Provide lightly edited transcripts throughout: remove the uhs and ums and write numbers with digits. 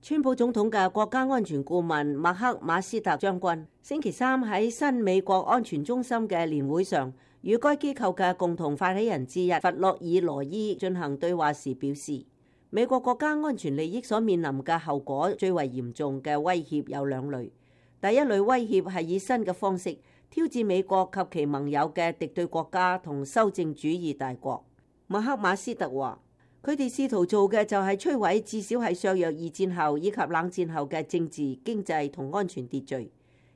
川普總統嘅國家安全顧問麥克馬斯特將軍星期三喺新美國安全中心嘅年會上，與該機構嘅共同發起人之一弗洛爾羅伊進行對話時表示，美國國家安全利益所面臨嘅後果最為嚴重嘅威脅有兩類。第一類威脅係以新嘅方式挑戰美國及其盟友嘅敵對國家同修正主義大國。麥克馬斯特話，佢哋試圖做嘅就係摧毀至少係削弱二戰後以及冷戰後嘅政治、經濟同安全秩序，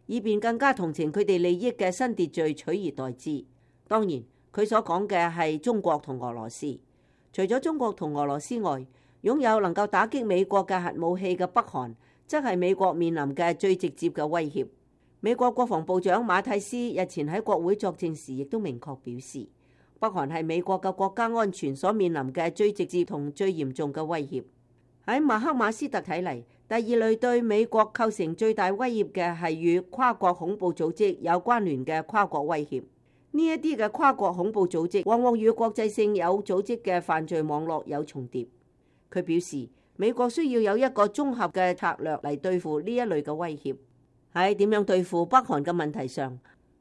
以便更加同情佢哋利益嘅新秩序取而代之。當然，佢所講嘅係中國同俄羅斯。除咗中國同俄羅斯外，擁有能夠打擊美國嘅核武器嘅北韓，則係美國面臨嘅最直接嘅威脅。美國國防部長馬蒂斯日前喺國會作證時，亦都明確表示，北韓係美國嘅國家安全所面臨嘅最直接同最嚴重嘅威脅。喺麥克馬斯特睇嚟，第二類對美國構成最大威脅嘅係與跨國恐怖組織有關聯嘅跨國威脅。呢一啲嘅跨國恐怖組織往往與國際性有組織嘅犯罪網絡有重疊。佢表示，美國需要有一個綜合嘅策略嚟對付呢一類嘅威脅。喺點樣對付北韓嘅問題上，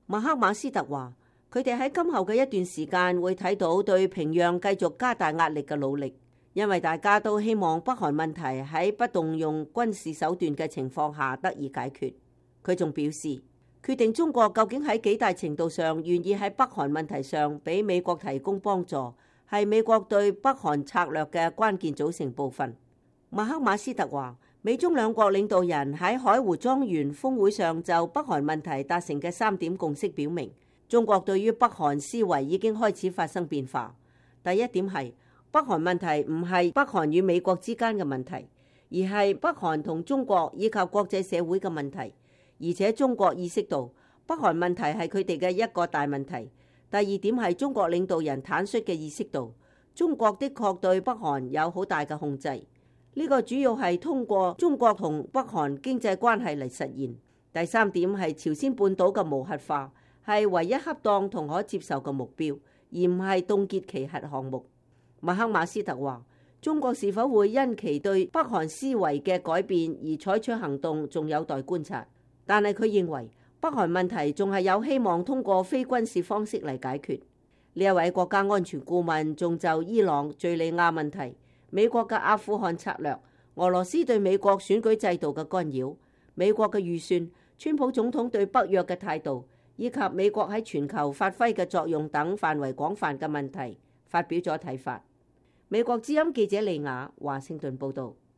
麥克馬斯特話，佢哋喺今後嘅一段時間會睇到對平壤繼續加大壓力嘅努力，因為大家都希望北韓問題喺不動用軍事手段嘅情況下得以解決。佢仲表示，決定中國究竟喺幾大程度上願意喺北韓問題上俾美國提供幫助，係美國對北韓策略嘅關鍵組成部分。麥克馬斯特話，美中兩國領導人喺海湖莊園峰會上就北韓問題達成嘅3點共識表明，中國對於北韓思維已經開始發生變化。第一點係，北韓問題唔係北韓與美國之間嘅問題，而係北韓同中國以及國際社會嘅問題。而且中國意識到北韓問題係佢哋嘅一個大問題。第二點係中國領導人坦率嘅意識到，中國的確對北韓有好大嘅控制。呢個主要係通過中國同北韓經濟關係嚟實現。第三點係朝鮮半島嘅無核化係唯一恰當同可接受嘅目標，而唔係凍結其核項目。麥克馬斯特話，中國是否會因其對北韓思維嘅改變而採取行動，仲有待觀察。但係佢認為北韓問題仲係有希望通過非軍事方式嚟解決。呢一位國家安全顧問仲就伊朗、敘利亞問題、美國嘅阿富汗策略、俄羅斯對美國選舉制度嘅干擾、美國嘅預算、川普總統對北約嘅態度，以及美國喺全球發揮嘅作用等範圍廣泛嘅問題，發表咗睇法。美國之音記者利雅華盛頓報道。